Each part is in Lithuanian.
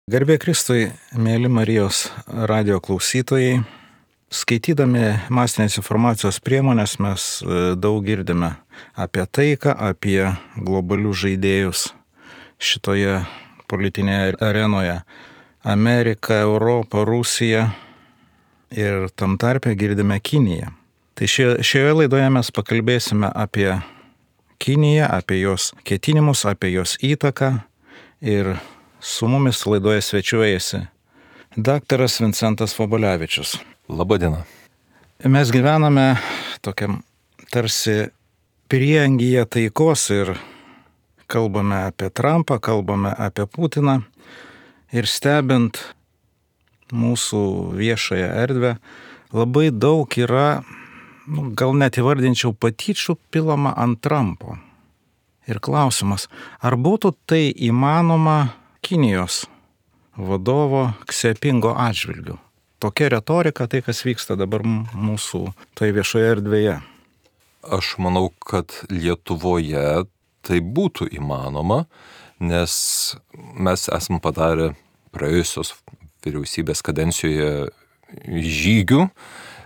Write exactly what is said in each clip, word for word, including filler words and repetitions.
Garbė Kristui, mėly Marijos radio klausytojai, skaitydami masinės informacijos priemonės mes daug girdime apie taiką, apie globalius žaidėjus šitoje politinėje arenoje. Amerika, Europa, Rusija ir tam tarpe girdime Kiniją. Tai šioje, šioje laidoje mes pakalbėsime apie Kiniją, apie jos ketinimus, apie jos įtaką ir su mumis laidoje svečiuojasi daktaras Vincentas Vobolevičius. Labadiena. Mes gyvename tokiam tarsi prieangyje taikos ir kalbame apie Trumpą, kalbame apie Putiną ir stebint mūsų viešąją erdvę labai daug yra, nu, gal net įvardinčiau, patyčių pilama ant Trumpo. Ir klausimas, ar būtų tai įmanoma Kinijos vadovo Ksepingo atžvilgiu? Tokia retorika, tai kas vyksta dabar mūsų toje viešoje erdvėje. Aš manau, kad Lietuvoje tai būtų įmanoma, nes mes esam padarę praėjusios vyriausybės kadencijoje žygių,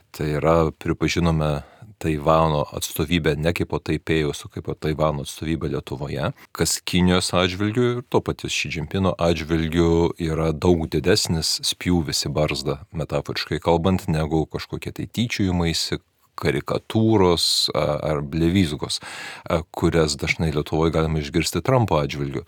tai yra pripažinome Taivano atstovybę ne kaip po Taipėjaus, o kaip po Taivano atstovybę Lietuvoje, kas Kinijos atžvilgių ir to paties Ši Džimpino atžvilgių yra daug didesnis spjūvis į barzdą, metaforiškai kalbant, negu kažkokie tai tyčiojimaisi, karikatūros ar blevyzgos, kurias dažnai Lietuvoje galima išgirsti Trumpo atžvilgių.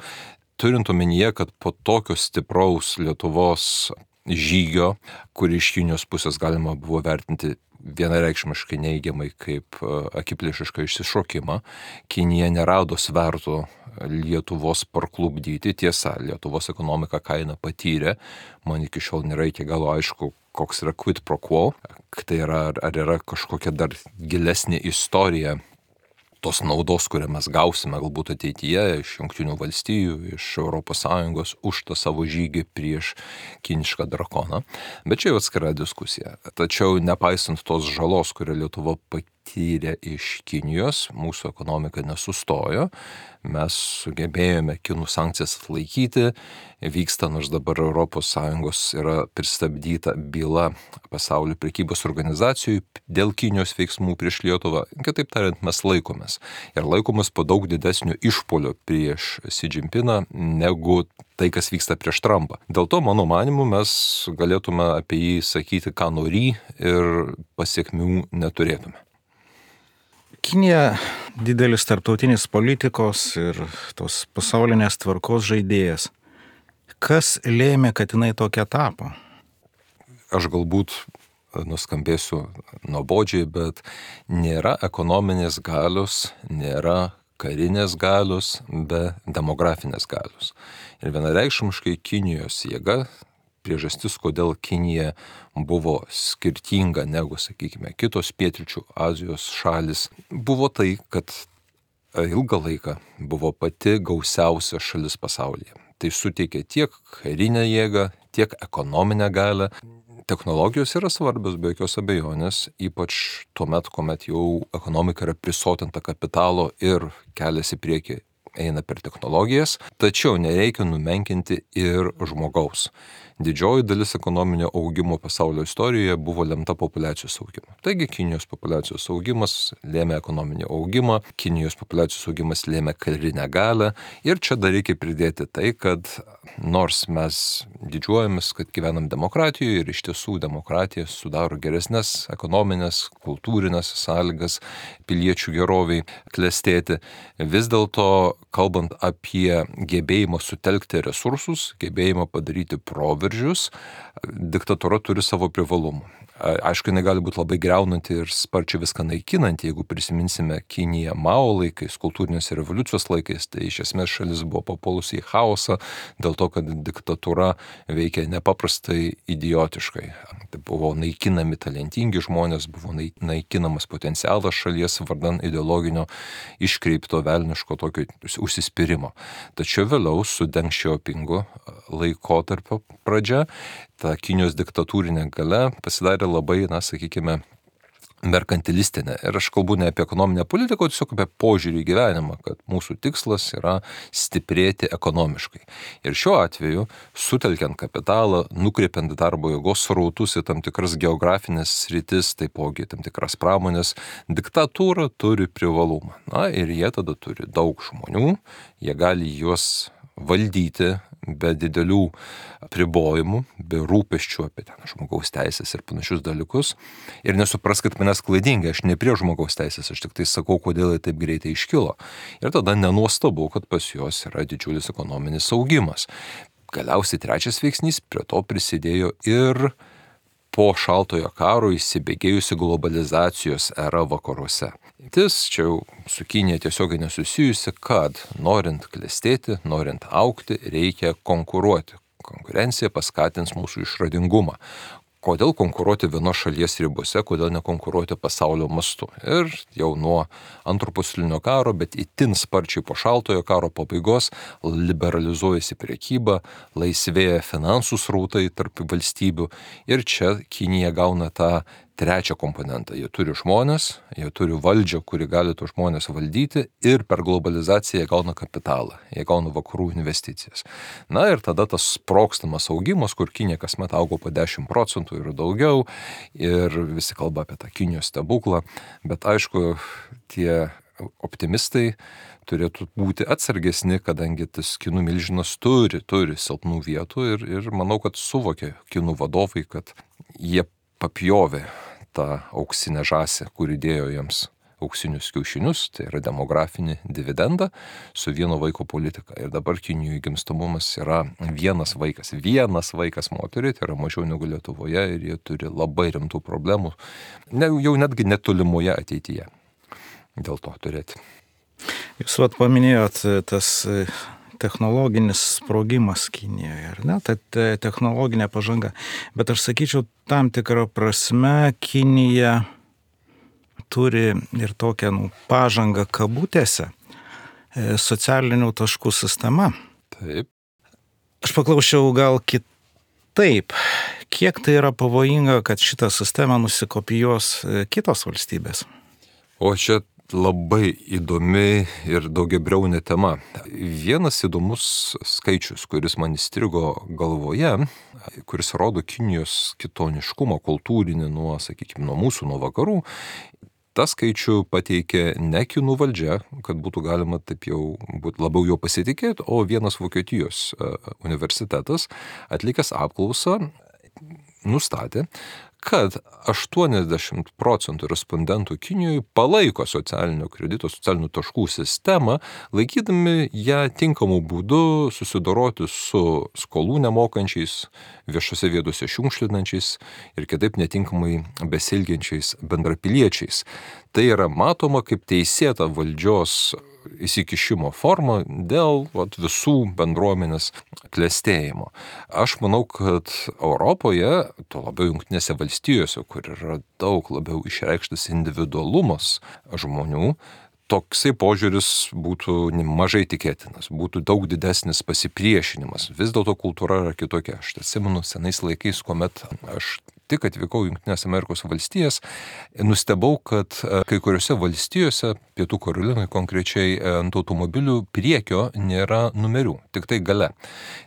Turint omenyje, kad po tokio stipraus Lietuvos žygio, kurį iš Kinijos pusės galima buvo vertinti vienareikšmiškai neigiamai kaip akiplėšišką išsišokimą, Kinija nerado svertų Lietuvos parklupdyti. Tiesa, Lietuvos ekonomika kainą patyrė, man iki šiol nėra iki galo aišku, koks yra quid pro quo, tai yra, ar yra kažkokia dar gilesnė istorija tos naudos, kurią mes gausime galbūt ateityje iš Jungtinių valstijų, iš Europos Sąjungos už tą savo žygį prieš kinišką drakoną. Bet čia jau atskira diskusija. Tačiau nepaisant tos žalos, kurią Lietuva patyrė iš Kinijos, mūsų ekonomika nesustojo. Mes sugebėjome kinų sankcijas atlaikyti, vyksta, nors dabar Europos Sąjungos yra pristabdyta byla pasaulio prekybos organizacijų dėl Kinijos veiksmų prieš Lietuvą. Kitaip tariant, mes laikomės. Ir laikomės po daug didesnio išpolio prieš Ši Džimpiną negu tai, kas vyksta prieš Trumpą. Dėl to, mano manimu, mes galėtume apie jį sakyti, ką nori ir pasiekmių neturėtume. Kinija didelis tarptautinis politikos ir tos pasaulinės tvarkos žaidėjas. Kas lėmė, kad jinai tokia tapo? Aš galbūt nuskambėsiu nuobodžiai, bet nėra ekonominės galios, nėra karinės galios be demografinės galios. Ir vienareikšmiškai Kinijos jėga, priežastis, kodėl Kinija buvo skirtinga negu, sakykime, kitos pietryčių Azijos šalis, buvo tai, kad ilgą laiką buvo pati gausiausia šalis pasaulyje. Tai suteikė tiek karinę jėgą, tiek ekonominę galią. Technologijos yra svarbios, be jokios abejonės, ypač tuomet, kuomet jau ekonomika yra prisotinta kapitalo ir kelias į priekį eina per technologijas, tačiau nereikia numenkinti ir žmogaus. Didžioji dalis ekonominio augimo pasaulio istorijoje buvo lemta populiacijos augimo. Taigi Kinijos populiacijos augimas lėmė ekonominį augimą, Kinijos populiacijos augimas lėmė karinę galią ir čia dar reikia pridėti tai, kad nors mes didžiuojamės, kad gyvenam demokratijoje ir iš tiesų demokratija sudaro geresnės ekonominės, kultūrinės sąlygas piliečių geroviai klestėti, vis dėlto kalbant apie gebėjimą sutelkti resursus, gebėjimą padaryti proveržius, diktatūra turi savo privalumų. Aišku, jinai gali būti labai greunanti ir sparčiai viską naikinanti, jeigu prisiminsime Kiniją Mao laikais, kultūrinės revoliucijos laikais, tai iš esmės šalis buvo papuolusi į chaosą dėl to, kad diktatūra veikia nepaprastai idiotiškai. Tai buvo naikinami talentingi žmonės, buvo naikinamas potencialas šalies vardan ideologinio iškreipto velniško tokio užsispyrimo. Tačiau vėliau su Deng Xiaopingu laikotarpio pradžia ta Kinijos diktatūrinė galia pasidarė labai, na, sakykime, merkantilistinė. Ir aš kalbu ne apie ekonominę politiką, o tiesiog apie požiūrį į gyvenimą, kad mūsų tikslas yra stiprėti ekonomiškai. Ir šiuo atveju, sutelkiant kapitalą, nukreipiant darbo jėgos srautus į tam tikras geografinės sritis, taipogi tam tikras pramonės, diktatūra turi privalumą. Na ir jie tada turi daug žmonių, jie gali juos valdyti be didelių apribojimų, be rūpesčių apie ten žmogaus teisės ir panašius dalykus. Ir nesupraskit manęs klaidingai, aš ne prie žmogaus teisės, aš tik tai sakau, kodėl jie taip greitai iškilo. Ir tada nenuostabu, kad pas juos yra didžiulis ekonominis augimas. Galiausiai trečias veiksnys, prie to prisidėjo ir po šaltojo karo įsibėgėjusi globalizacijos era vakaruose. Tis čia jau su Kinija tiesiogiai nesusijusi, kad norint klestėti, norint augti, reikia konkuruoti. Konkurencija paskatins mūsų išradingumą. Kodėl konkuruoti vienos šalies ribose, kodėl nekonkuruoti pasaulio mastu. Ir jau nuo antro pasaulinio karo, bet itin sparčiai po šaltojo karo pabaigos liberalizuojasi prekyba, laisvėja finansų srautai tarp valstybių ir čia Kinija gauna tą trečią komponentą. Jie turi žmonės, jie turi valdžią, kuri gali tos žmonės valdyti ir per globalizaciją jie gauna kapitalą, jie gauna vakarų investicijas. Na ir tada tas sprogstamas augimas, kur Kinija kasmet augo po dešimt procentų ir daugiau ir visi kalba apie tą Kinijos stebuklą, bet aišku, tie optimistai turėtų būti atsargesni, kadangi tas kinų milžinas turi, turi silpnų vietų ir, ir manau, kad suvokia kinų vadovai, kad jie papjovė tą auksinę žąsį, kuri dėjo jiems auksinius kiaušinius, tai yra demografinį dividendą su vieno vaiko politika. Ir dabar Kinijoje gimstamumas yra vienas vaikas, vienas vaikas moteriai, tai yra mažiau negu Lietuvoje ir jie turi labai rimtų problemų, ne, jau netgi netolimoje ateityje. Dėl to turėti. Jūs vat paminėjot tas technologinis sprogimas Kinijoje, ar ne? Tai technologinė pažanga. Bet aš sakyčiau, tam tikrą prasme Kinija turi ir tokią nu, pažangą kabutėse socialinių taškų sistema. Taip. Aš paklausčiau gal kitaip. Kiek tai yra pavojinga, kad šitą sistemą nusikopijuos kitos valstybės? O čia labai įdomi ir daugiabriaunė tema. Vienas įdomus skaičius, kuris man įstrigo galvoje, kuris rodo Kinijos kitoniškumą, kultūrinį nuo, sakykime, nuo mūsų, nuo vakarų, tą skaičių pateikė ne kinų valdžia, kad būtų galima taip jau būt labiau jo pasitikėti, o vienas Vokietijos universitetas atlikęs apklausą nustatė, kad aštuoniasdešimt procentų respondentų Kinijoje palaiko socialinio kredito, socialinių taškų sistemą, laikydami ją tinkamų būdų susidoroti su skolų nemokančiais, viešose vietose šiukšlinančiais ir kitaip netinkamai besilgiančiais bendrapiliečiais. Tai yra matoma kaip teisėta valdžios įsikišimo forma dėl vat, visų bendruomenės klestėjimo. Aš manau, kad Europoje, tuo labiau Jungtinėse valstijose, kur yra daug labiau išreikštas individualumas žmonių, toksai požiūris būtų mažai tikėtinas, būtų daug didesnis pasipriešinimas. Vis dėlto kultūra yra kitokia. Aš atsimenu senais laikais, kuomet aš tik atvykau į Jungtinės Amerikos valstijas, nustebau, kad kai kuriuose valstijose, Pietų Karolinoje konkrečiai, ant automobilių priekio nėra numerių, tik tai gale.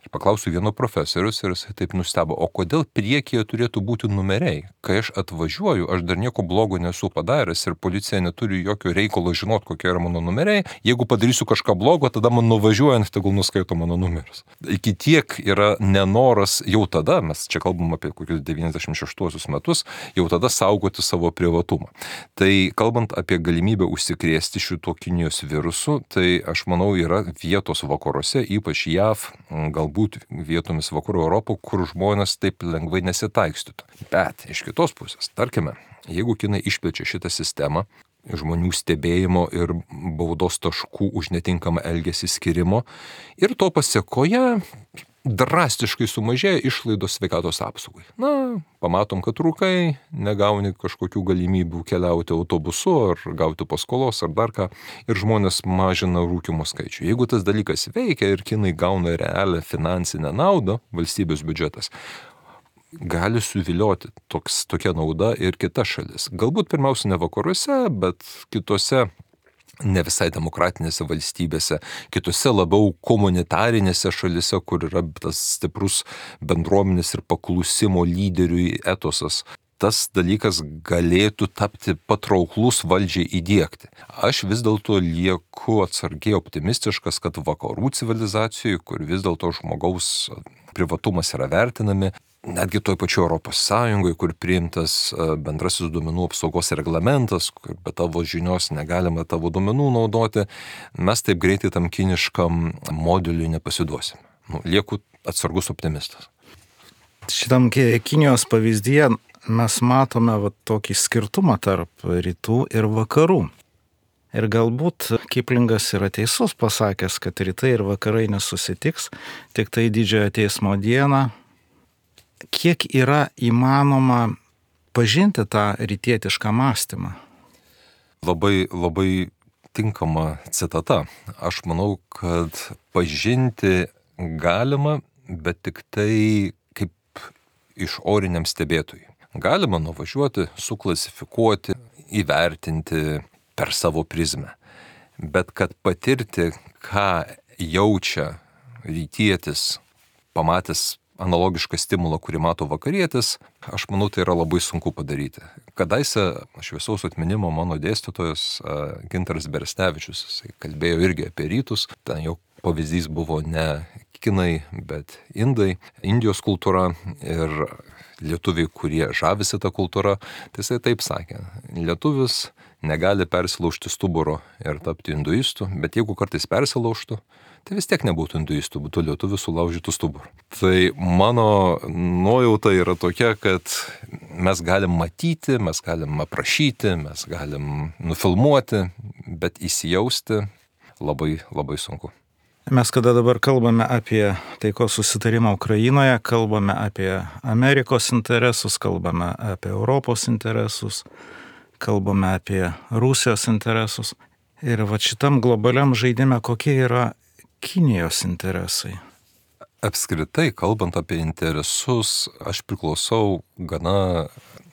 Ir paklausiu vieno profesorius ir jis taip nustebo, o kodėl priekyje turėtų būti numeriai? Kai aš atvažiuoju, aš dar nieko blogo nesu padaręs ir policija neturi jokio reikalo žinot, kokie yra mano numeriai. Jeigu padarysiu kažką blogo, tada man nuvažiuojant, tegul nuskaito mano numerius. Iki tiek yra nenoras jau tada, mes čia kalbam apie kokius devyniasdešimt šeštuosius metus, jau tada saugoti savo privatumą. Tai kalbant apie galimybę užsikrėsti šito Kinijos virusu, tai aš manau yra vietos vakaruose, ypač J A V, galbūt vietomis vakarų Europo, kur žmonės taip lengvai nesitaikstytų. Bet iš kitos pusės, tarkime, jeigu Kinai išplečia šitą sistemą, žmonių stebėjimo ir baudos taškų už netinkamą elgesį skirimo ir to pasiekoje drastiškai sumažėja išlaidos sveikatos apsaugai. Na, pamatom, kad rūkai, negauni kažkokių galimybių keliauti autobusu ar gauti paskolos ar dar ką ir žmonės mažina rūkymo skaičių. Jeigu tas dalykas veikia ir Kinai gauna realią finansinę naudą, valstybės biudžetas, gali suvilioti toks, tokia nauda ir kitas šalis. Galbūt pirmiausia ne vakaruose, bet kitose ne visai demokratinėse valstybėse, kitose labiau komunitarinėse šalise, kur yra tas stiprus bendruomenės ir paklusimo lyderiui etosas. Tas dalykas galėtų tapti patrauklus valdžiai įdiegti. Aš vis dėlto lieku atsargiai optimistiškas, kad vakarų civilizacijoje, kur vis dėlto žmogaus privatumas yra vertinami, netgi toj pačioj Europos Sąjungoje, kur priimtas bendrasis duomenų apsaugos reglamentas, kur be tavo žinios negalima tavo duomenų naudoti, mes taip greitai tam kiniškam modeliui nepasiduosim. Nu, lieku atsargus optimistas. Šitam Kinijos pavyzdyje mes matome va, tokį skirtumą tarp rytų ir vakarų. Ir galbūt Kiplingas yra teisus pasakęs, kad rytai ir vakarai nesusitiks, tik tai didžiojo teismo dieną. Kiek yra įmanoma pažinti tą rytietišką mąstymą? Labai, labai tinkama citata. Aš manau, kad pažinti galima, bet tik tai kaip išoriniam stebėtojui. Galima nuvažiuoti, suklasifikuoti, įvertinti per savo prizmę. Bet kad patirti, ką jaučia rytietis, pamatęs analogišką stimulą, kurį mato vakarietis, aš manau, tai yra labai sunku padaryti. Kadaise šviesaus atminimo mano dėstytojas Gintaras Beresnevičius, jisai kalbėjo irgi apie rytus, ten jau pavyzdys buvo ne kinai, bet indai, Indijos kultūra ir lietuviai, kurie žavisi tą kultūrą, tai jisai taip sakė, lietuvis negali persilaužti stuburo ir tapti hinduistu, bet jeigu kartais persilaužtų, tai vis tiek nebūtų hinduistų, būtų lietuvių sulaužytų stuburų. Tai mano nuojauta yra tokia, kad mes galim matyti, mes galim aprašyti, mes galim nufilmuoti, bet įsijausti labai, labai sunku. Mes kada dabar kalbame apie taikos susitarimą Ukrainoje, kalbame apie Amerikos interesus, kalbame apie Europos interesus, kalbame apie Rusijos interesus. Ir va šitam globaliam žaidime kokie yra Kinijos interesai? Apskritai, kalbant apie interesus, aš priklausau gana,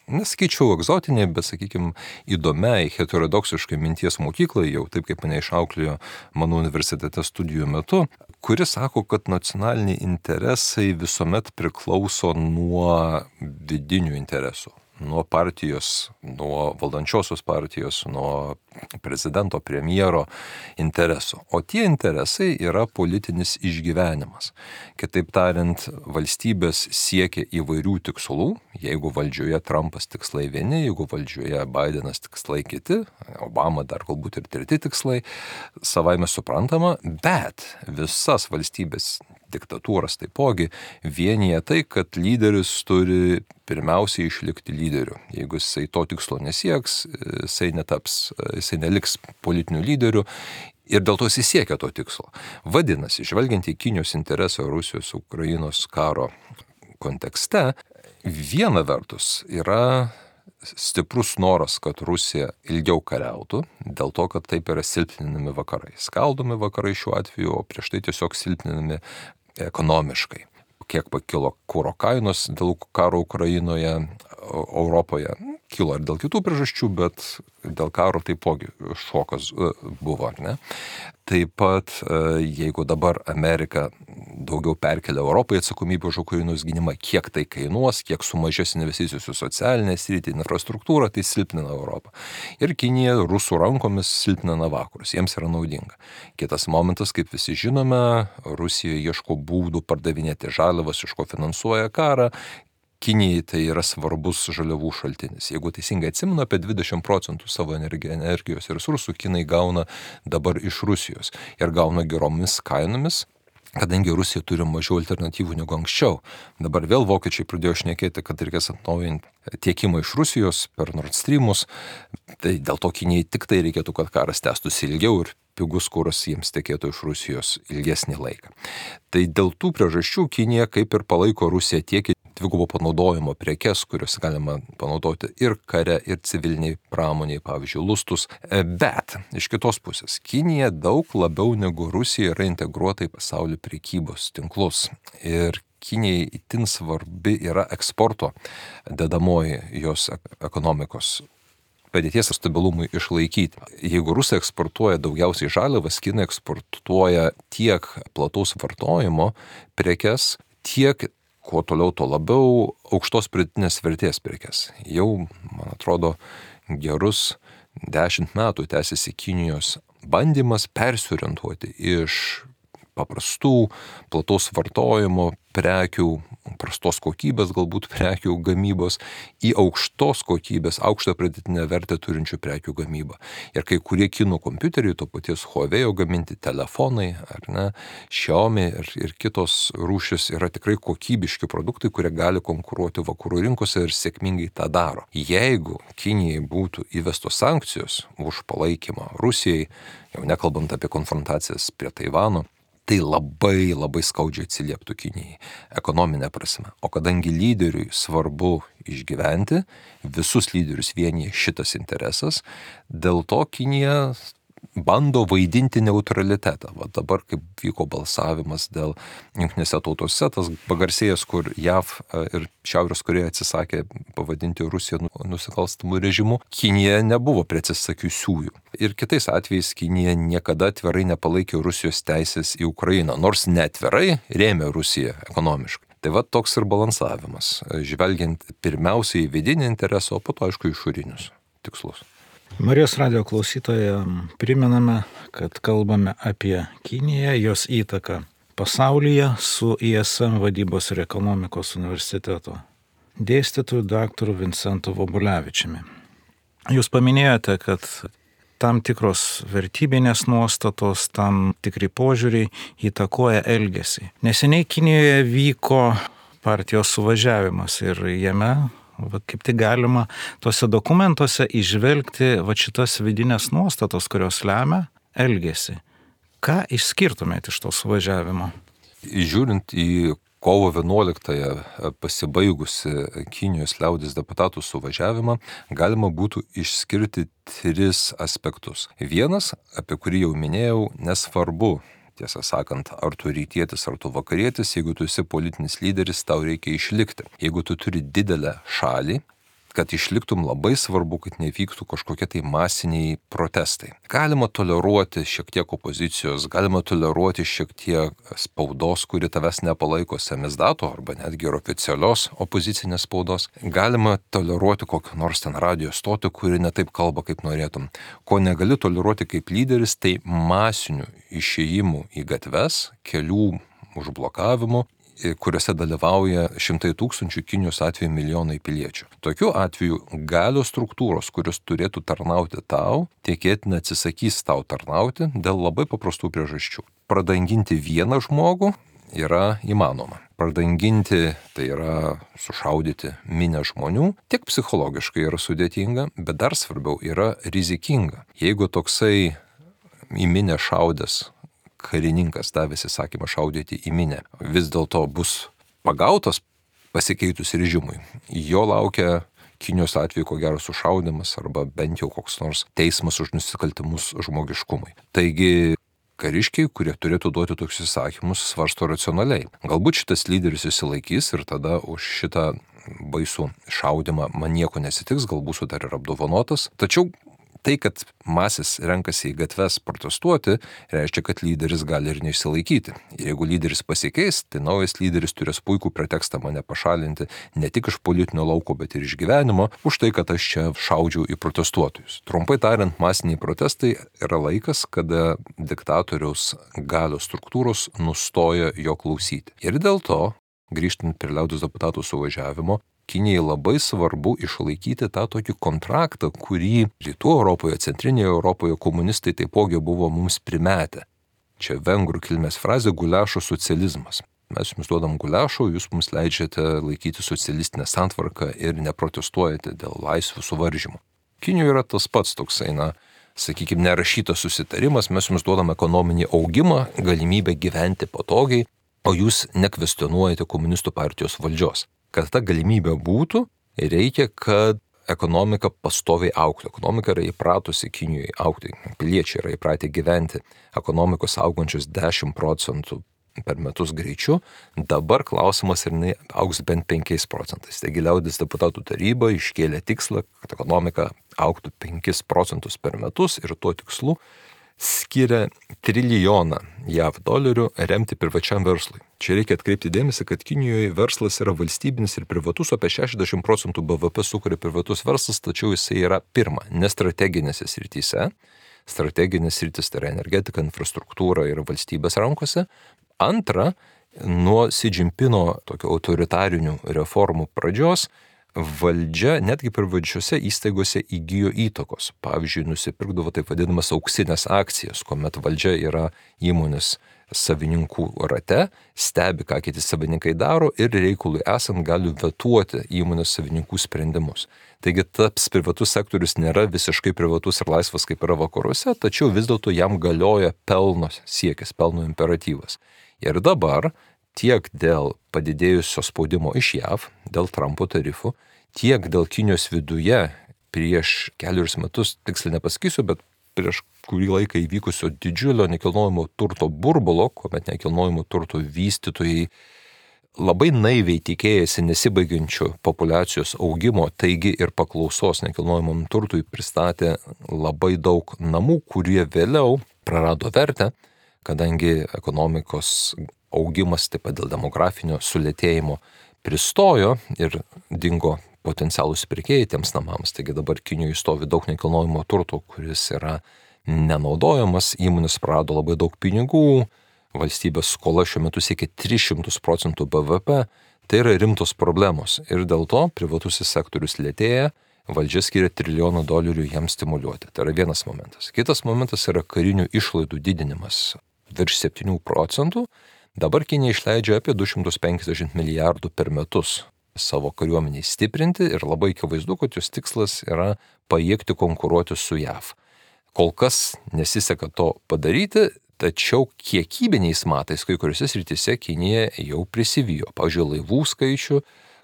nesakyčiau egzotiniai, bet, sakykime, įdomiai, heterodoksiškai minties mokyklai, jau taip kaip mane išauklėjo mano universitete studijų metu, kuris sako, kad nacionaliniai interesai visuomet priklauso nuo vidinių interesų. Nuo partijos, nuo valdančiosios partijos, nuo prezidento, premjero interesų. O tie interesai yra politinis išgyvenimas. Kitaip tariant, valstybės siekia įvairių tikslų. Jeigu valdžioje Trumpas tikslai vieni, jeigu valdžioje Bidenas tikslai kiti, Obama dar galbūt ir treti tikslai, savaime suprantama, bet visas valstybės diktatūras taipogi vienyje tai, kad lyderis turi pirmiausiai išlikti lyderiu. Jeigu jisai to tikslo nesieks, jisai netaps, jisai neliks politiniu lyderiu ir dėl to jisai siekia to tikslo. Vadinasi, žvelgiant į Kinijos interesą Rusijos Ukrainos karo kontekste, viena vertus yra stiprus noras, kad Rusija ilgiau kariautų, dėl to, kad taip yra silpninami vakarai. Skaldomi vakarai šiuo atveju, o prieš tai tiesiog silpninami ekonomiškai. Kiek pakilo kuro kainos dėl karo Ukrainoje, Europoje. Kilo ir dėl kitų priežasčių, bet dėl karo taipogi šokas buvo, ar ne? Taip pat, jeigu dabar Amerika daugiau perkelia Europai atsakomybę už Ukrainos gynimą, kiek tai kainuos, kiek sumažės investicijos į socialinę sritį, infrastruktūrą, tai silpnina Europą. Ir Kinija rusų rankomis silpnina vakarus, jiems yra naudinga. Kitas momentas, kaip visi žinome, Rusija ieško būdų pardavinėti žaliavas, iš ko finansuoja karą. Kinijai tai yra svarbus žaliavų šaltinis. Jeigu teisingai atsimenu, apie dvidešimt procentų savo energijos resursų Kinai gauna dabar iš Rusijos ir gauna geromis kainomis, kadangi Rusija turi mažiau alternatyvų negu anksčiau. Dabar vėl vokiečiai pradėjo šnekėti, kad reikės atnaujinti tiekimą iš Rusijos per Nord Streamus, tai dėl to Kinijai tik tai reikėtų, kad karas tęstųsi ilgiau ir pigus kuras jiems tekėtų iš Rusijos ilgesnį laiką. Tai dėl tų priežasčių Kinija kaip ir palaiko Rusiją tiek dvigubo panaudojimo prekes, kurios galima panaudoti ir kare, ir civiliniai pramoniai, pavyzdžiui, lustus. Bet iš kitos pusės, Kinija daug labiau negu Rusija yra integruota į pasaulio prekybos tinklus. Ir Kinijai itin svarbi yra eksporto dedamoji jos ekonomikos padėties stabilumui išlaikyti. Jeigu rusai eksportuoja daugiausiai žaliavas, kinai eksportuoja tiek plataus vartojimo prekes, tiek, kuo toliau, to labiau, aukštos pridėtinės vertės prekes. Jau, man atrodo, gerus dešimt metų tęsiasi Kinijos bandymas persiorientuoti iš paprastų, plataus vartojimo prekių, prastos kokybės galbūt prekių gamybos į aukštos kokybės, aukštą pridėtinę vertę turinčių prekių gamybą. Ir kai kurie kinų kompiuteriai, to paties Huawei gaminti telefonai, ar ne, Xiaomi ir, ir kitos rūšis yra tikrai kokybiški produktai, kurie gali konkuruoti vakarų rinkose ir sėkmingai tą daro. Jeigu Kinijai būtų įvestos sankcijos už palaikymą Rusijai, jau nekalbant apie konfrontacijas prie Taivano, tai labai labai skaudžiai atsilieptų Kinijai ekonominė prasme. O kadangi lyderiui svarbu išgyventi, visus lyderius vienyje šitas interesas, dėl to Kinija bando vaidinti neutralitetą. Va dabar, kaip vyko balsavimas dėl jungtinėse tautose, tas pagarsėjęs, kur J A V ir Šiaurės Korėja atsisakė pavadinti Rusiją nusikalstamų režimų, Kinija nebuvo prie atsisakiusiųjų. Ir kitais atvejais Kinija niekada atvirai nepalaikė Rusijos teisės į Ukrainą, nors neatvirai rėmė Rusiją ekonomiškai. Tai va toks ir balansavimas, žvelgiant pirmiausiai į vidinį interesą, o po to, aišku, išorinius tikslus. Marijos radio klausytoje primename, kad kalbame apie Kiniją, jos įtaką pasaulyje su I S M vadybos ir ekonomikos universiteto dėstytoju daktaru Vincentu Vobulevičiumi. Jūs paminėjote, kad tam tikros vertybinės nuostatos, tam tikri požiūriai įtakoja elgesį. Neseniai Kinijoje vyko partijos suvažiavimas ir jame va, kaip tik galima tuose dokumentuose įžvelgti va šitas vidinės nuostatos, kurios lemia elgesį. Ką išskirtumėte iš to suvažiavimo? Žiūrint į kovo vienuoliktąją pasibaigusi Kinijos liaudės deputatų suvažiavimą, galima būtų išskirti tris aspektus. Vienas, apie kurį jau minėjau, nesvarbu, tiesą sakant, ar tu rytietis, ar tu vakarietis, jeigu tu esi politinis lyderis, tau reikia išlikti. Jeigu tu turi didelę šalį, kad išliktum, labai svarbu, kad nevyktų kažkokie tai masiniai protestai. Galima toleruoti šiek tiek opozicijos, galima toleruoti šiek tiek spaudos, kuri tavęs nepalaiko samizdato, arba netgi ir oficialios opozicinės spaudos. Galima toleruoti kokią nors ten radio stotį, kuri ne taip kalba, kaip norėtum. Ko negali toleruoti kaip lyderis, tai masinių išėjimų į gatves, kelių užblokavimų, kuriuose dalyvauja šimtai tūkstančių, Kinijos atveju milijonai piliečių. Tokiu atveju galios struktūros, kurios turėtų tarnauti tau, tikėtina atsisakys tau tarnauti dėl labai paprastų priežasčių. Pradanginti vieną žmogų yra įmanoma. Pradanginti, tai yra sušaudyti minę žmonių, tiek psichologiškai yra sudėtinga, bet dar svarbiau yra rizikinga. Jeigu toksai į minę šaudęs karininkas davęs įsakymą šaudyti į minę vis dėlto bus pagautas pasikeitus režimui, jo laukia Kinijos atveju ko gero sušaudimas arba bent jau koks nors teismas už nusikaltimus žmogiškumui. Taigi kariškiai, kurie turėtų duoti tokius įsakymus, svarsto racionaliai. Galbūt šitas lyderis įsilaikys ir tada už šitą baisų šaudimą man nieko nesitiks, gal būsiu dar ir apdovanotas. Tačiau tai, kad masės renkasi į gatves protestuoti, reiškia, kad lyderis gali ir neišsilaikyti. Ir jeigu lyderis pasikeis, tai naujas lyderis turės puikų pretekstą mane pašalinti ne tik iš politinio lauko, bet ir iš gyvenimo, už tai, kad aš čia šaudžiau į protestuotojus. Trumpai tariant, masiniai protestai yra laikas, kada diktatoriaus galios struktūros nustoja jo klausyti. Ir dėl to, grįžtant prie liaudies deputatų suvažiavimo, Kinijai labai svarbu išlaikyti tą tokį kontraktą, kurį Rytų Europoje, Centrinėje Europoje komunistai taipogi buvo mums primetę. Čia vengrų kilmės frazė guliašo socializmas. Mes jums duodam guliašo, jūs mums leidžiate laikyti socialistinę santvarką ir neprotestuojate dėl laisvių suvaržymų. Kinijoje yra tas pats toksai, na, sakykime, nerašytas susitarimas, mes jums duodam ekonominį augimą, galimybę gyventi patogiai, o jūs nekvestionuojate komunistų partijos valdžios. Kad ta galimybė būtų, reikia, kad ekonomika pastoviai augtų. Ekonomika yra įpratusi Kinijoje augti. Piliečiai yra įpratę gyventi. Ekonomikos augančios dešimt procentų per metus greičiu, dabar klausimas ir jinai augs bent penkiais procentais. Taigi liaudės deputatų taryba iškėlė tikslą, kad ekonomika augtų penkis procentus per metus ir tuo tikslu skiria trilijoną J A V dolerių remti privačiam verslui. Čia reikia atkreipti dėmesį, kad Kinijoje verslas yra valstybinis ir privatus, apie šešiasdešimt procentų B V P sukuria privatus verslas, tačiau jisai yra pirma, nestrateginėse srityse. Strateginės sritis tai yra energetika, infrastruktūra ir valstybės rankose. Antra, nuo Xi Jinpingo tokio autoritarinių reformų pradžios valdžia netgi privačiose įstaigose įgijo įtakos. Pavyzdžiui, nusipirkdavo taip vadinamas auksinės akcijas, kuomet valdžia yra įmonės savininkų rate, stebi, ką kiti savininkai daro ir reikalui esant gali vetuoti įmonės savininkų sprendimus. Taigi tas privatus sektorius nėra visiškai privatus ir laisvas kaip yra vakaruose, tačiau vis dėlto jam galioja pelno siekis, pelno imperatyvas. Ir dabar tiek dėl padidėjusio spaudimo iš J A V, dėl Trumpo tarifų, tiek dėl Kinijos viduje prieš kelius metus, tiksliai nepasakysiu, bet prieš kurį laiką įvykusio didžiulio nekilnojamo turto burbulo, kuomet nekilnojamo turto vystytojai labai naiviai tikėjasi nesibaigiančio populiacijos augimo, taigi ir paklausos nekilnojamam turtui pristatė labai daug namų, kurie vėliau prarado vertę, kadangi ekonomikos augimas taip pat dėl demografinio sulėtėjimo pristojo ir dingo potencialūs pirkėjai tiems namams. Taigi dabar Kinijoje stovi daug nekilnojamo turto, kuris yra nenaudojamas, įmonės prarado labai daug pinigų, valstybės skola šiuo metu siekia tris šimtus procentų B V P, tai yra rimtos problemos ir dėl to privatusis sektorius lėtėja, valdžia skiria trilijoną dolerių jam stimuliuoti. Tai yra vienas momentas. Kitas momentas yra karinių išlaidų didinimas virš septynių procentų. Dabar Kinija išleidžia apie du šimtus penkiasdešimt milijardų per metus savo kariuomeniai stiprinti ir labai akivaizdu, kad jos tikslas yra pajėgti konkuruoti su J A V. Kol kas nesiseka to padaryti, tačiau kiekybiniais matais kai kuriuose srityse Kinija jau prisivijo. Pavyzdžiui, laivų skaičių,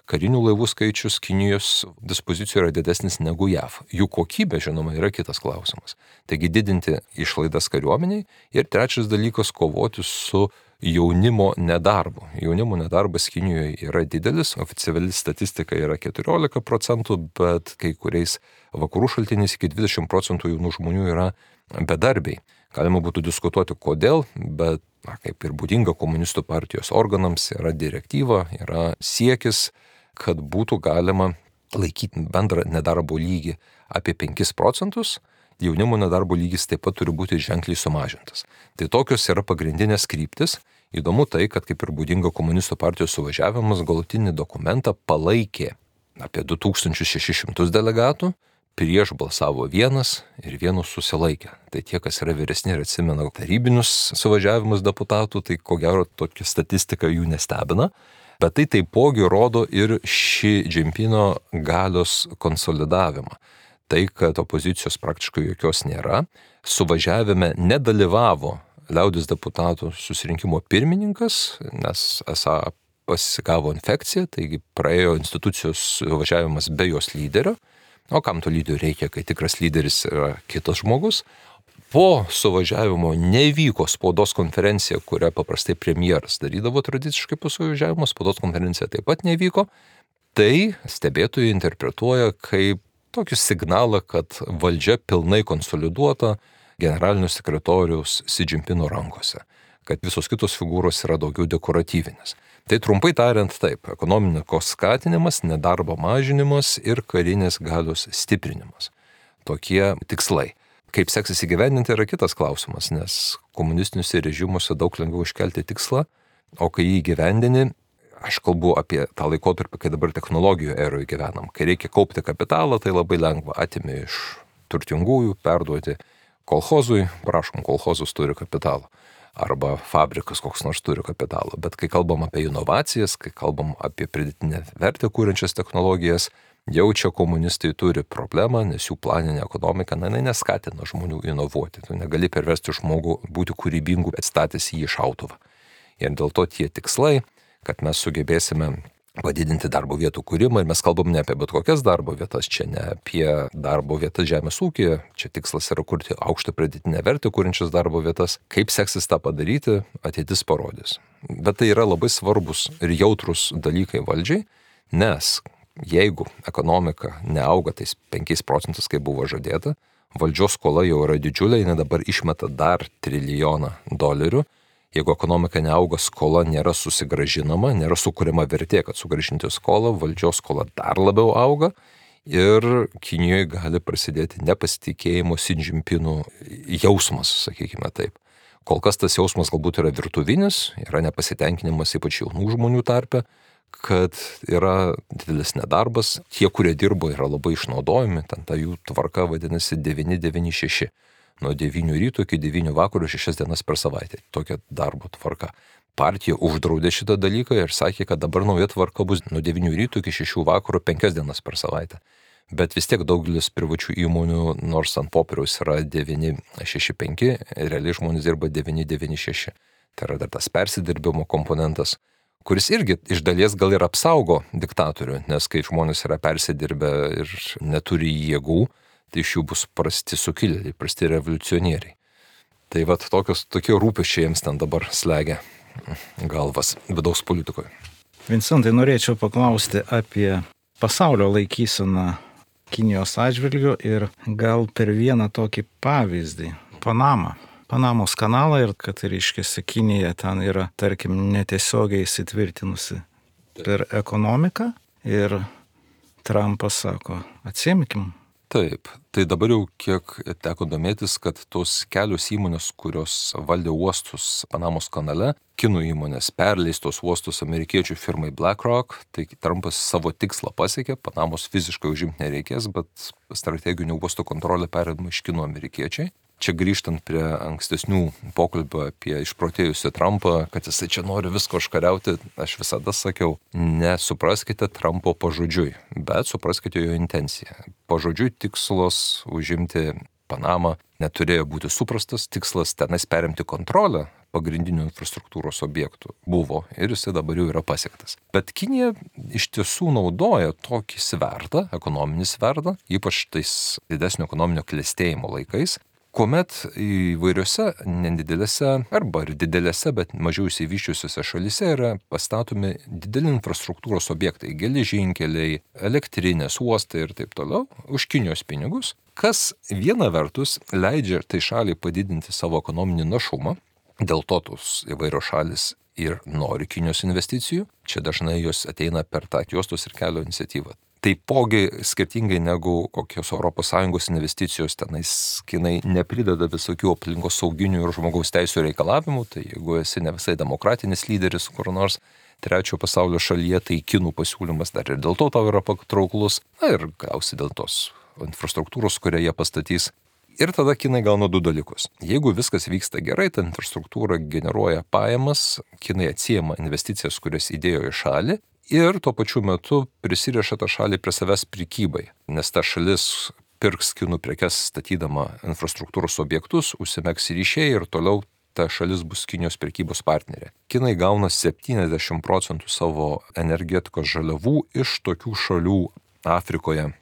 karinių laivų skaičius Kinijos dispozicijoje yra didesnis negu J A V. Jų kokybė, žinoma, yra kitas klausimas. Taigi didinti išlaidas kariuomeniai ir trečias dalykas kovoti su jaunimo nedarbu. Jaunimo nedarbas Kinijoje yra didelis, oficiali statistika yra keturiolika procentų, bet kai kuriais vakarų šaltiniais iki dvidešimt procentų jaunų žmonių yra bedarbiai. Galima būtų diskutuoti kodėl, bet na, kaip ir būdinga komunistų partijos organams yra direktyva, yra siekis, kad būtų galima laikyti bendrą nedarbo lygį apie penkis procentus, jaunimo nedarbo lygis taip pat turi būti ženkliai sumažintas. Tai tokios yra pagrindinės kryptis. Įdomu tai, kad kaip ir būdinga komunistų partijos suvažiavimas galutinį dokumentą palaikė apie du tūkstančius šešis šimtus delegatų, prieš balsavo vienas ir vienus susilaikė. Tai tie, kas yra vyresni ir atsimena tarybinius suvažiavimus deputatų, tai ko gero tokia statistika jų nestebina. Bet tai taipogi rodo ir Xi Jinpingo galios konsolidavimą. Tai, kad opozicijos praktiškai jokios nėra, suvažiavime nedalyvavo liaudės deputatų susirinkimo pirmininkas, nes esą pasigavo infekciją, taigi praėjo institucijos suvažiavimas be jos lyderio. O kam to lyderio reikia, kai tikras lyderis yra kitas žmogus? Po suvažiavimo nevyko spaudos konferencija, kurią paprastai premjeras darydavo tradiciškai po suvažiavimo, spaudos konferencija taip pat nevyko. Tai stebėtojai interpretuoja kaip tokį signalą, kad valdžia pilnai konsoliduota generalinio sekretoriaus Xi Jinpingo rankose, kad visos kitos figūros yra daugiau dekoratyvinės. Tai trumpai tariant taip, ekonomikos skatinimas, nedarbo mažinimas ir karinės galios stiprinimas. Tokie tikslai. Kaip seksis įgyvendinti yra kitas klausimas, nes komunistiniuose režimuose daug lengviau iškelti tikslą, o kai jį įgyvendini, aš kalbu apie tą laikotarpį, kai dabar technologijų eroje gyvenam. Kai reikia kaupti kapitalą, tai labai lengva atimi iš turtingųjų, perduoti kolchozui, prašom, kolchozas turi kapitalą. Arba fabrikas koks nors turi kapitalą. Bet kai kalbam apie inovacijas, kai kalbam apie pridėtinę vertę kūrenčias technologijas, jau čia komunistai turi problemą, nes jų planinė ekonomika, na, neskatina žmonių inovuoti. Tu negali pervesti žmogų būti kūrybingų, atstatęs jį į šautuvą. Ir dėl to tie tikslai, kad mes sugebėsime padidinti darbo vietų kūrimą ir mes kalbam ne apie bet kokias darbo vietas, čia ne apie darbo vietas žemės ūkyje, čia tikslas yra kurti aukštą pridėtinę vertę kūrinčias darbo vietas. Kaip seksis tą padaryti, ateitis parodys. Bet tai yra labai svarbus ir jautrus dalykai valdžiai, nes jeigu ekonomika neauga tais penkiais procentais, kaip buvo žadėta, valdžios skola jau yra didžiulė, jinai dabar išmeta dar trilijoną dolerių. Jeigu ekonomika neauga, skola nėra susigražinama, nėra sukuriama vertė, kad sugražinti skolą, valdžios skola dar labiau auga ir Kinijoje gali prasidėti nepasitikėjimo Xi Jinping'u jausmas, sakykime taip. Kol kas tas jausmas galbūt yra virtuvinis, yra nepasitenkinimas ypač jaunų žmonių tarpe, kad yra didelis nedarbas, tie, kurie dirbo, yra labai išnaudojami, ten ta jų tvarka vadinasi devyni devyni šeši. Nuo devynių ryto iki devynių vakarų šešias dienas per savaitę. Tokia darbo tvarka. Partija uždraudė šitą dalyką ir sakė, kad dabar nauja tvarka bus nuo devynių ryto iki šešių vakarų penkias dienas per savaitę. Bet vis tiek daugelis privačių įmonių, nors ant popieriaus yra devyni šeši penki, realiai žmonės dirba devyni devyni šeši. Tai yra dar tas persidirbimo komponentas, kuris irgi iš dalies gal ir apsaugo diktatorių, nes kai žmonės yra persidirbę ir neturi jėgų, tai iš jų bus prasti sukilėliai, prasti revoliucionieriai. Tai vat tokios, tokie rūpesčiai jiems ten dabar slegia galvas vidaus politikoje. Vincentai, norėčiau paklausti apie pasaulio laikyseną Kinijos atžvilgiu ir gal per vieną tokį pavyzdį. Panama. Panamos kanalą ir kad reiškiasi Kinija ten yra, tarkim, netiesiogiai įsitvirtinusi per ekonomiką ir Trumpas sako, atsiimkim. Taip, tai dabar jau kiek teko domėtis, kad tos kelios įmonės, kurios valdė uostus Panamos kanale, kinų įmonės perleistos uostus amerikiečių firmai BlackRock, tai Trumpas savo tikslą pasiekė, Panamos fiziškai užimti nereikės, bet strateginių uostų kontrolę perėdama iš kinų amerikiečiai. Čia grįžtant prie ankstesnių pokalbio apie išprotėjusią Trumpą, kad jisai čia nori visko užkariauti, aš visada sakiau, nesupraskite Trumpo pažodžiui, bet supraskite jo intenciją. Pažodžiui tikslas užimti Panamą neturėjo būti suprastas, tikslas tenais perimti kontrolę pagrindinių infrastruktūros objektų buvo ir jisai dabar jau yra pasiektas. Bet Kinija iš tiesų naudoja tokį svertą, ekonominį svertą, ypač tais didesnio ekonominio klestėjimo laikais, kuomet įvairiose nedidelėse arba ir didelėse, bet mažiau išsivyščiusiose šalyse yra pastatomi dideli infrastruktūros objektai, geležinkeliai, elektrinės, uostai ir taip toliau, už Kinijos pinigus, kas viena vertus leidžia tai šaliai padidinti savo ekonominį našumą, dėl to tos įvairios šalis ir nori Kinijos investicijų, čia dažnai jos ateina per tą juostos ir kelio iniciatyvą. Taipogi, skirtingai negu kokios Europos Sąjungos investicijos, tenais Kinai neprideda visokių aplinkos sauginių ir žmogaus teisų reikalavimų, tai jeigu esi ne visai demokratinis lyderis kur nors trečio pasaulio šalyje, tai kinų pasiūlymas dar ir dėl to tau yra patrauklus, na ir gausi dėl tos infrastruktūros, kurią jie pastatys. Ir tada Kinai gauna du dalykus. Jeigu viskas vyksta gerai, ta infrastruktūra generuoja pajamas, Kinai atsiema investicijas, kurias įdėjo į šalį, ir tuo pačiu metu prisiriša tą šalį prie savęs prekybai, nes ta šalis pirks kinų prekes statydama infrastruktūros objektus, užsimegs ryšiai ir toliau ta šalis bus Kinijos prekybos partnerė. Kinai gauna septyniasdešimt procentų savo energetikos žaliavų iš tokių šalių Afrikoje,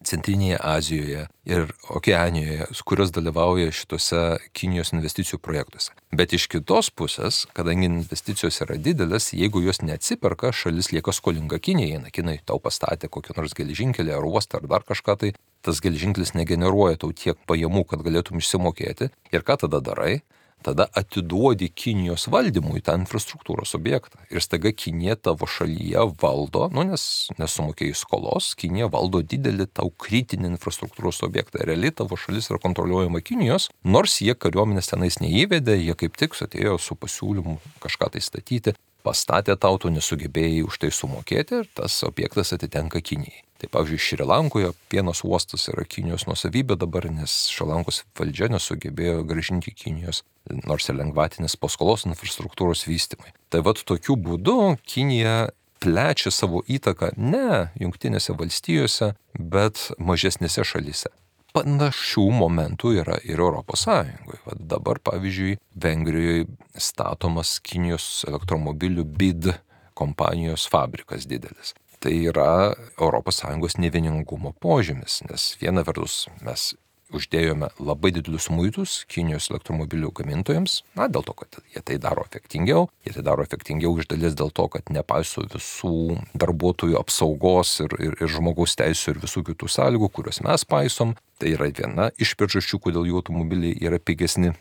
Centrinėje Azijoje ir Okeanijoje, kurios dalyvauja šitose Kinijos investicijų projektuose. Bet iš kitos pusės, kadangi investicijos yra didelės, jeigu jos neatsiperka, šalis lieka skolinga Kinijai. Na, Kinai tau pastatė kokį nors geležinkelį ar uostą ar dar kažką, tai tas geležinkelis negeneruoja tau tiek pajamų, kad galėtum išsimokėti. Ir ką tada darai? Tada atiduodi Kinijos valdymui tą infrastruktūros objektą. Ir staiga Kinija tavo šalyje valdo, nu nes nesumokėjai skolos, Kinija valdo didelį tau kritinį infrastruktūros objektą. Realiai tavo šalis yra kontroliuojama Kinijos, nors jie kariuomenės tenais neįvedė, jie kaip tik atėjo su pasiūlymu kažką tai statyti, pastatė tau, tu nesugebėjai už tai sumokėti ir tas objektas atitenka Kinijai. Tai pavyzdžiui, Šri Lankoje Pienos uostas yra Kinijos nuosavybė dabar, nes Šri Lankos valdžia nesugebėjo grąžinti Kinijos, nors ir lengvatinės paskolos infrastruktūros vystymai. Tai vat tokiu būdu Kinija plečia savo įtaką ne Jungtinėse valstijose, bet mažesnėse šalyse. Panašių momentų yra ir Europos Sąjungoje. Vat dabar, pavyzdžiui, Vengrijoje statomas Kinijos elektromobilių B I D kompanijos fabrikas didelis. Tai yra Europos Sąjungos nevieningumo požymis, nes viena vertus mes uždėjome labai didelius muitus Kinijos elektromobilių gamintojams, na, dėl to, kad jie tai daro efektingiau, jie tai daro efektingiau iš dalies dėl to, kad nepaiso visų darbuotojų apsaugos ir, ir, ir žmogaus teisų ir visų kitų sąlygų, kuriuos mes paisom. Tai yra viena iš priežasčių, kodėl jų automobiliai yra pigesni.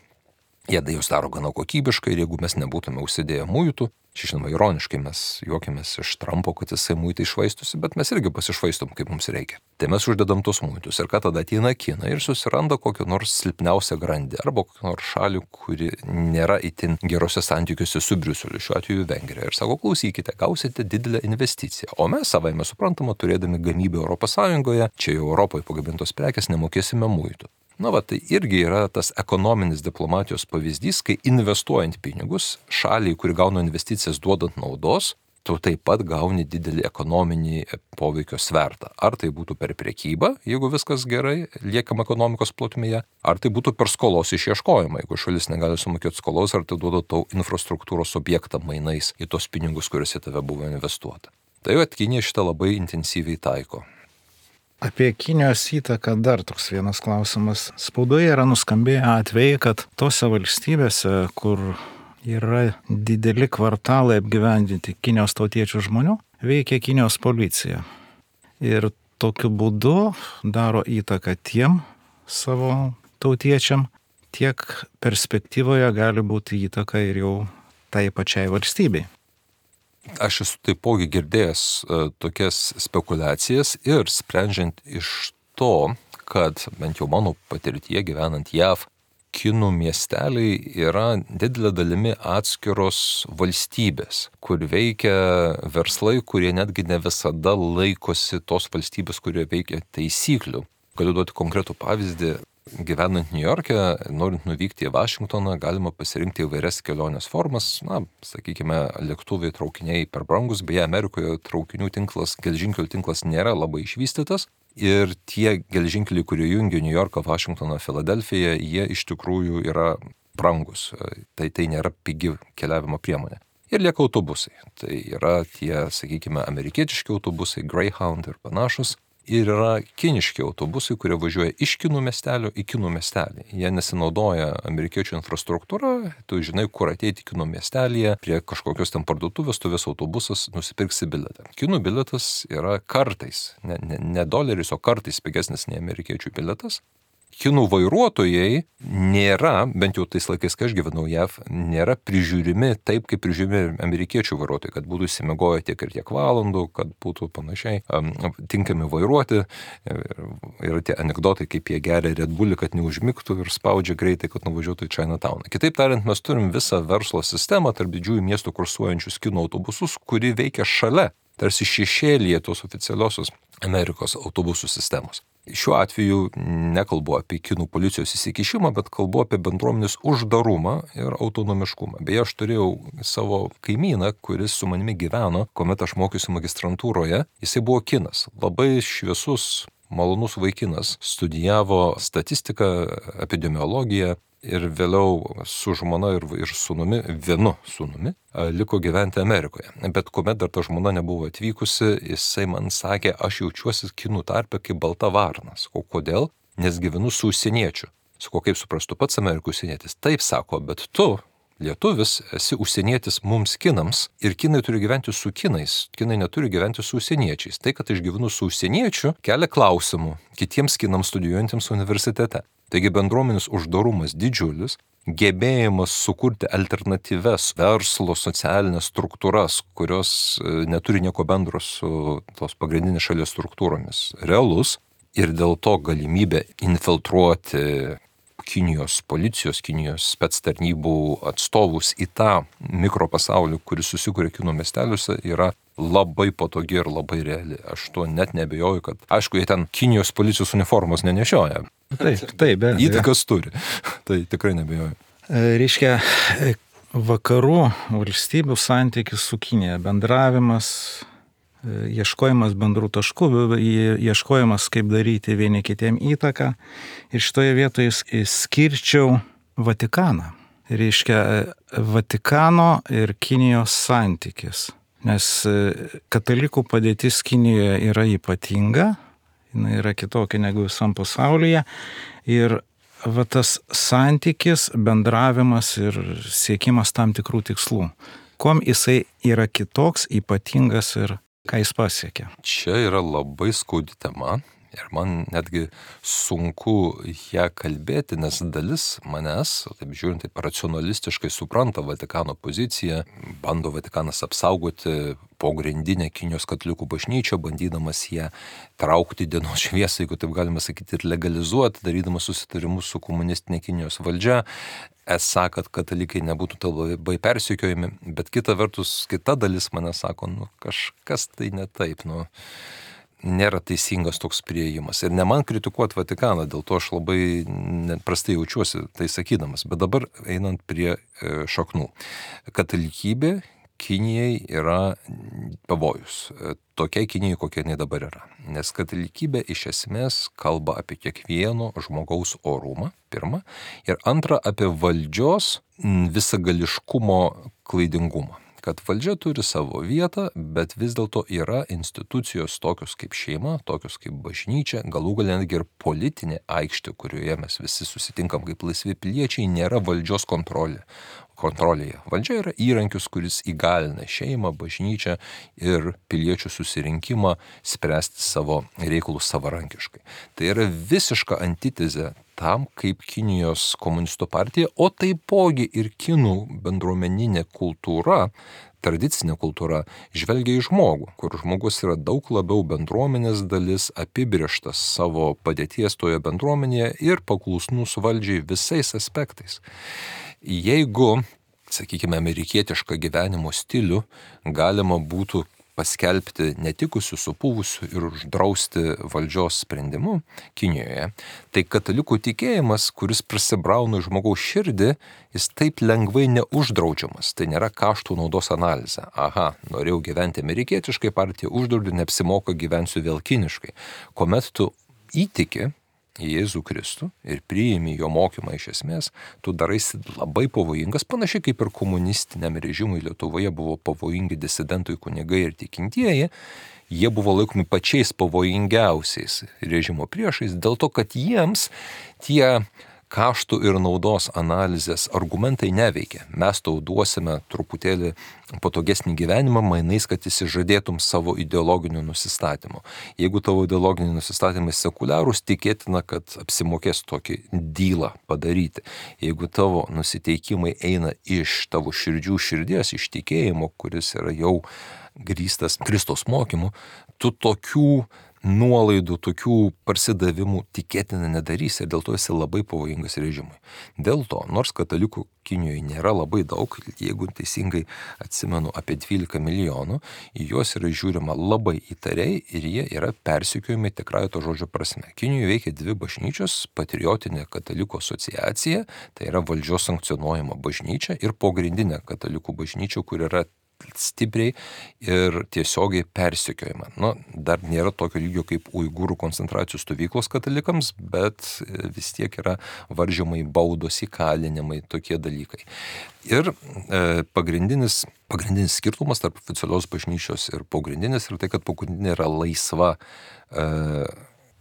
Jie tai jūs daro gana kokybiškai ir jeigu mes nebūtume užsidėję muitų, čia žinoma ironiškai mes juokėmės iš Trumpo, kad jisai muitai išvaistosi, bet mes irgi pasišvaistom, kaip mums reikia. Tai mes uždedam tos muitus ir ką tada ateina Kina ir susiranda kokią nors silpniausią grandį arba kokią nors šalį, kuri nėra itin gerose santykiuose su Briuseliu, šiuo atveju Vengrija. Ir sako, klausykite, gausite didelę investiciją. O mes savaime suprantama, turėdami gamybę Europos Sąjungoje, čia jau Europoje pagamintos prekės, nemokėsime muitų. Na, va, tai irgi yra tas ekonominis diplomatijos pavyzdys, kai investuojant pinigus, šaliai, kuri gauna investicijas duodant naudos, tu taip pat gauni didelį ekonominį poveikio svertą. Ar tai būtų per prekybą, jeigu viskas gerai, liekam ekonomikos plotmėje, ar tai būtų per skolos išieškojimą, jeigu šalis negali sumokėti skolos, ar tai duoda tau infrastruktūros objektą mainais į tos pinigus, kuriuose tave buvo investuota. Tai at Kinija šitą labai intensyviai taiko. Apie Kinijos įtaką dar toks vienas klausimas. Spaudoje yra nuskambėję atvejai, kad tose valstybėse, kur yra dideli kvartalai apgyvendinti Kinijos tautiečių žmonių, veikia Kinijos policija. Ir tokiu būdu daro įtaką tiem savo tautiečiam, tiek perspektyvoje gali būti įtaka ir jau tai pačiai valstybei. Aš esu taipogi girdėjęs uh, tokias spekulacijas ir sprendžiant iš to, kad bent jau mano patirtyje gyvenant J A V, kinų miesteliai yra didelė dalimi atskiros valstybės, kur veikia verslai, kurie netgi ne visada laikosi tos valstybės, kurie veikia taisyklių. Galiu duoti konkretų pavyzdį. Gyvenant Niujorke, norint nuvykti į Vašingtoną, galima pasirinkti įvairias kelionės formas. Na, sakykime, lėktuvai, traukiniai per brangus, beje, Amerikoje traukinių tinklas, geležinkelių tinklas nėra labai išvystytas. Ir tie geležinkeliai, kurie jungia Niujorką, Vašingtoną, Filadelfiją, jie iš tikrųjų yra brangus. Tai tai nėra pigi keliavimo priemonė. Ir lieka autobusai. Tai yra tie, sakykime, amerikietiški autobusai, Greyhound ir panašus. Ir yra kiniški autobusai, kurie važiuoja iš kinų miestelio į kinų miestelį. Jie nesinaudoja amerikiečių infrastruktūrą, tu žinai, kur ateiti kinų miestelėje, prie kažkokios ten parduotuvės, tu vis autobusas nusipirksi bilietą. Kinų bilietas yra kartais, ne, ne, ne doleris, o kartais pigesnis nei amerikiečių bilietas. Kinų vairuotojai nėra, bent jau tais laikais, kai aš gyvenau J A V, nėra prižiūrimi taip, kaip prižiūrimi amerikiečių vairuotojai, kad būtų įsimiegoję tiek ir tiek valandų, kad būtų panašiai um, tinkami vairuoti. Yra tie anekdotai, kaip jie geria Red Bullį, kad neužmigtų ir spaudžia greitai, kad nuvažiuotų į Chinatowną. Kitaip tariant, mes turim visą verslo sistemą tarp didžiųjų miestų kursuojančius kinų autobusus, kuri veikia šalia, tarsi šešėlyje tos oficialiosios Amerikos autobusų sistemos. Šiuo atveju nekalbu apie kinų policijos įsikišimą, bet kalbu apie bendruomenės uždarumą ir autonomiškumą. Beje, aš turėjau savo kaimyną, kuris su manimi gyveno, kuomet aš mokiausi magistrantūroje. Jisai buvo kinas, labai šviesus, malonus vaikinas, studijavo statistiką, epidemiologiją ir vėliau su žmona ir, ir sūnumi, vienu sūnumi, liko gyventi Amerikoje. Bet kuomet dar ta žmona nebuvo atvykusi, jisai man sakė, aš jaučiuosi kinų tarpe kaip balta varnas. O kodėl? Nes gyvenu su užsieniečiu. Sako, kaip suprastu pats Amerikos užsienietis? Taip, sako, bet tu, lietuvis, esi užsienietis mums kinams ir kinai turi gyventi su kinais. Kinai neturi gyventi su užsieniečiais. Tai, kad aš gyvenu su užsieniečiu, kelia klausimų kitiems kinams studijuojantiems universitete. Taigi bendruomenės uždarumas didžiulis, gebėjimas sukurti alternatyves verslo socialinės struktūras, kurios neturi nieko bendro su tos pagrindinės šalies struktūromis, realus ir dėl to galimybė infiltruoti Kinijos policijos, Kinijos spectarnybų atstovus į tą mikropasaulį, kuris susikuria kinų miesteliuose, yra labai patogi ir labai reali. Aš tuo net nebejoju, kad, aišku, jie ten Kinijos policijos uniformos nenešioja. Taip, taip, be abejo. Įtakas turi. Tai tikrai nebejoju. Reiškia, vakarų valstybių santykis su Kinija, bendravimas, ieškojimas bendrų taškų, ieškojimas, kaip daryti vieni kitiem įtaką. Ir šitoje vietoje skirčiau Vatikaną. Reiškia, Vatikano ir Kinijos santykis. Nes katalikų padėtis Kinijoje yra ypatinga, jinai yra kitokia negu visam pasaulyje. Ir va tas santykis, bendravimas ir siekimas tam tikrų tikslų. Kuom jisai yra kitoks, ypatingas ir ką jis pasiekia? Čia yra labai skaudi tema. Ir man netgi sunku ją kalbėti, nes dalis manęs, taip žiūrint, taip racionalistiškai supranta Vatikano poziciją, bando Vatikanas apsaugoti pogrindinę Kinijos katalikų bažnyčią, bandydamas ją traukti dienos šviesą, jeigu taip galima sakyti, ir legalizuoti, darydamas susitarimus su komunistinė Kinijos valdžia, esą, kad katalikai nebūtų labai persekiojami, bet kita vertus, kita dalis mane sako, nu kažkas tai ne taip, nu nėra teisingas toks priėjimas. Ir ne man kritikuoti Vatikaną, dėl to aš labai prastai jaučiuosi tai sakydamas. Bet dabar einant prie šaknų. Katalikybė Kinijai yra pavojus. Tokia Kinijai, kokia jinai dabar yra. Nes katalikybė iš esmės kalba apie kiekvieno žmogaus orumą, pirma. Ir antra, apie valdžios visagališkumo klaidingumą. Kad valdžia turi savo vietą, bet vis dėlto yra institucijos tokios kaip šeima, tokios kaip bažnyčia, galų galia netgi ir politinė aikštė, kurioje mes visi susitinkam kaip laisvi piliečiai, nėra valdžios kontrolė. kontrolėje. Valdžia yra įrankis, kuris įgalina šeimą, bažnyčią ir piliečių susirinkimą spręsti savo reikalus savarankiškai. Tai yra visiška antitezė tam, kaip Kinijos komunistų partija, o taipogi ir kinų bendruomeninė kultūra, tradicinė kultūra, žvelgia į žmogų, kur žmogus yra daug labiau bendruomenės dalis, apibrėžtas savo padėties toje bendruomenėje ir paklusnus valdžiai visais aspektais. Jeigu, sakykime, amerikietišką gyvenimo stilių galima būtų paskelbti netikusių, supūvusių ir uždrausti valdžios sprendimu Kinijoje, tai katalikų tikėjimas, kuris prasibrauna žmogaus širdį, jis taip lengvai neuždraudžiamas. Tai nėra kaštų naudos analizė. Aha, norėjau gyventi amerikietiškai, partija uždraudė, neapsimoka, gyvensiu vėl kiniškai. Kuomet tu įtiki į Jėzų Kristų ir priimi jo mokymą iš esmės, tu daraisi labai pavojingas, panašiai kaip ir komunistiniam režimui Lietuvoje buvo pavojingi disidentai kunigai ir tikintieji, jie buvo laikomi pačiais pavojingiausiais režimo priešais, dėl to, kad jiems tie kaštų ir naudos analizės argumentai neveikia. Mes tau duosime truputėlį patogesnį gyvenimą, mainais, kad įsižadėtum savo ideologinių nusistatymų. Jeigu tavo ideologiniai nusistatymai sekuliarūs, tikėtina, kad apsimokės tokį dylą padaryti. Jeigu tavo nusiteikimai eina iš tavo širdžių širdies, iš tikėjimo, kuris yra jau grįstas Kristaus mokymu, tu tokių nuolaidų, tokių parsidavimų tikėtina nedarys ir dėl to esi labai pavojingas režimui. Dėl to, nors katalikų Kinijoje nėra labai daug, jeigu teisingai atsimenu apie dvylika milijonų, į juos yra žiūrima labai įtariai ir jie yra persekiojami tikrąja to žodžio prasme. Kinijoje veikia dvi bažnyčios, patriotinė katalikų asociacija, tai yra valdžios sankcionuojama bažnyčia, ir pogrindinė katalikų bažnyčia, kur yra stipriai ir tiesiogiai persekiojama. Nu, dar nėra tokio lygio kaip uigūrų koncentracijos stovyklos katalikams, bet vis tiek yra varžymai, baudos, įkalinimai, tokie dalykai. Ir e, pagrindinis, pagrindinis skirtumas tarp oficialios bažnyčios ir pogrindinės yra tai, kad pogrindinė yra laisva e,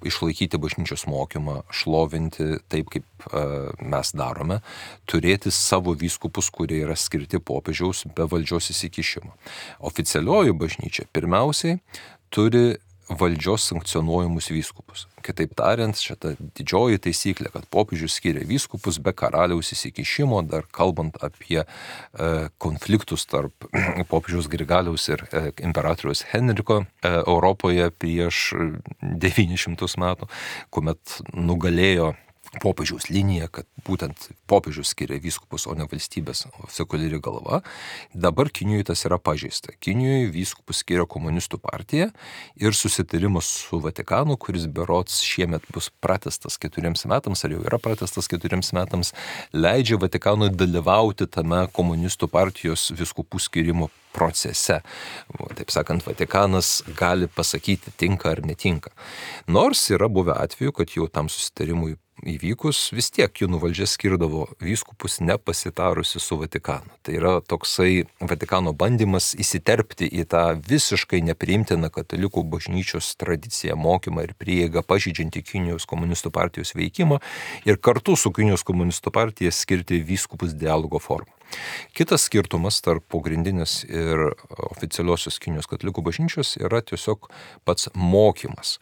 išlaikyti bažnyčios mokymą, šlovinti taip, kaip e, mes darome, turėti savo vyskupus, kurie yra skirti popiežiaus be valdžios įsikišimo. Oficialioji bažnyčia pirmiausiai turi valdžios sankcionuojamus vyskupus. Kitaip tariant, šita didžioji taisyklė, kad popiežius skiria vyskupus be karaliaus įsikišimo, dar kalbant apie e, konfliktus tarp popiežiaus Grigaliaus ir e, imperatoriaus Henriko e, Europoje prieš devynis šimtus metų, kuomet nugalėjo popiežiaus linija, kad būtent popiežius skiria vyskupus, o ne valstybės sekuliari galva. Dabar Kinijoje tas yra pažeista. Kinijoje vyskupus skiria komunistų partija ir susitarimas su Vatikanu, kuris berods šiemet bus pratęstas keturiems metams, ar jau yra pratęstas keturiems metams, leidžia Vatikanui dalyvauti tame komunistų partijos vyskupų skirimo procese. Taip sakant, Vatikanas gali pasakyti, tinka ar netinka. Nors yra buvę atveju, kad jau tam susitarimui įvykus vis tiek kinų valdžia skirdavo vyskupus nepasitarusi su Vatikanu. Tai yra toksai Vatikano bandymas įsiterpti į tą visiškai nepriimtiną katalikų bažnyčios tradiciją, mokymą ir prieigą, pažydžiantį Kinijos komunistų partijos veikimą ir kartu su Kinijos komunistų partija skirti vyskupus dialogo formą. Kitas skirtumas tarp pagrindinės ir oficialiosios Kinijos katalikų bažnyčios yra tiesiog pats mokymas.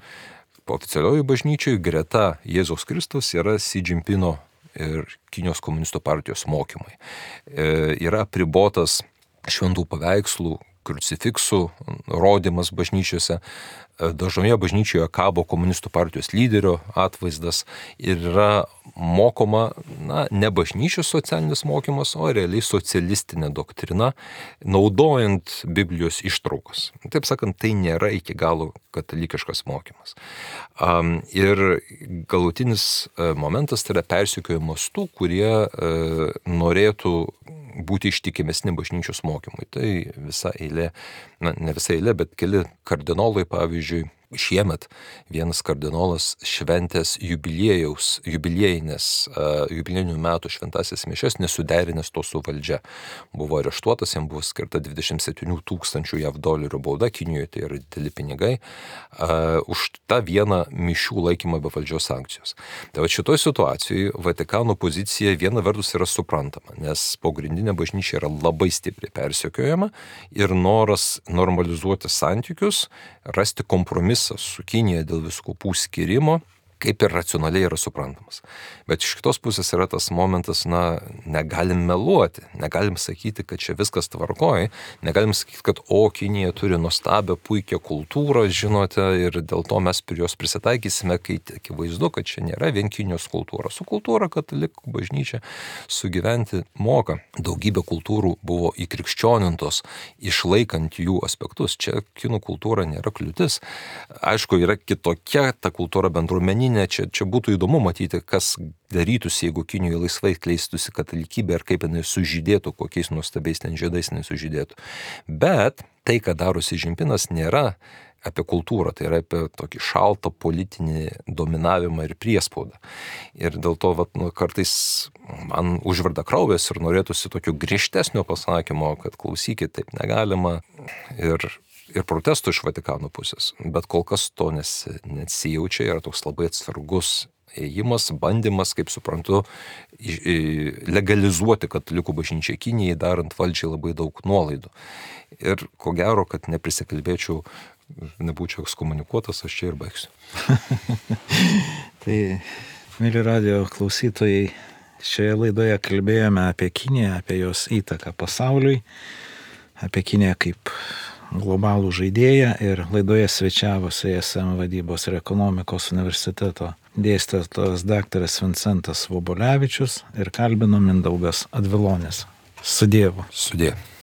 Oficialioji bažnyčiai greta Jėzaus Kristaus yra Xi Jinpingo ir Kinijos komunistų partijos mokymai. E, yra apribotas šventų paveikslų, krucifiksų rodymas bažnyčiose. Dažnoje bažnyčioje kabo komunistų partijos lyderio atvaizdas ir yra mokoma, na, ne bažnyčios socialinis mokymas, o realiai socialistinė doktrina, naudojant Biblijos ištraukas. Taip sakant, tai nėra iki galo katalikiškas mokymas. Um, ir galutinis momentas tai yra persekiojimas tų, kurie uh, norėtų būti ištikimesni bažnyčios mokymui. Tai visa eilė, na, ne visa eilė, bet keli kardinolai, pavyzdžiui, šiemet vienas kardinolas šventęs jubiliejaus, jubiliejinės, uh, jubiliejinių metų šventasias mišias nesuderinęs to su valdžia. Buvo areštuotas, jam buvo skirta dvidešimt septynių tūkstančių jav dolerių bauda, Kinijoje tai yra dideli pinigai, uh, už tą vieną mišių laikymą be valdžios sankcijos. Tai va šitoj situacijoje Vatikano pozicija viena vertus yra suprantama, nes pagrindinė bažnyčia yra labai stipriai persekiojama ir noras normalizuoti santykius, rasti kompromisą su Kinija dėl vyskupų skirimo, kaip ir racionaliai yra suprantamas. Bet iš kitos pusės yra tas momentas, na, negalim meluoti, negalim sakyti, kad čia viskas tvarkoja, negalim sakyti, kad o, Kinija turi nuostabią, puikią kultūrą, žinote, ir dėl to mes prie jos prisitaikysime, kai akivaizdu, kad čia nėra vien Kinijos kultūra. Su kultūra katalikų bažnyčia sugyventi moka. Daugybė kultūrų buvo įkrikščionintos, išlaikant jų aspektus. Čia kinų kultūra nėra kliūtis. Aišku, yra kitokia ta kultūra bendruomeninė. Čia, čia būtų įdomu matyti, kas darytųsi, jeigu Kinijoje laisvai kleistųsi katalikybė ir kaip jinai sužydėtų, kokiais nuostabiais ten žiedais jinai sužydėtų. Bet tai, ką daro Xi Jinpingas, nėra apie kultūrą, tai yra apie tokį šaltą politinį dominavimą ir priespaudą. Ir dėl to vat, nu, kartais man užverda kraujas ir norėtųsi tokio griežtesnio pasakymo, kad klausykit, taip negalima. Ir ir protestų iš Vatikano pusės, bet kol kas to nes, nesijaučia, yra toks labai atsargus ėjimas, bandymas, kaip suprantu, legalizuoti katalikų bažnyčią Kinijai, darant valdžiai labai daug nuolaidų. Ir ko gero, kad neprisikalbėčiau, nebūčiau ekskomunikuotas, aš čia ir baigsiu. Tai, mėly radio klausytojai, šioje laidoje kalbėjome apie Kiniją, apie jos įtaką pasauliui, apie Kiniją kaip globalų žaidėją ir laidoje svečiavosi I S M vadybos ir ekonomikos universiteto dėstytojas daktaras Vincentas Vobolevičius ir kalbino Mindaugas Advilonis. Su Dievu. Su Dievu.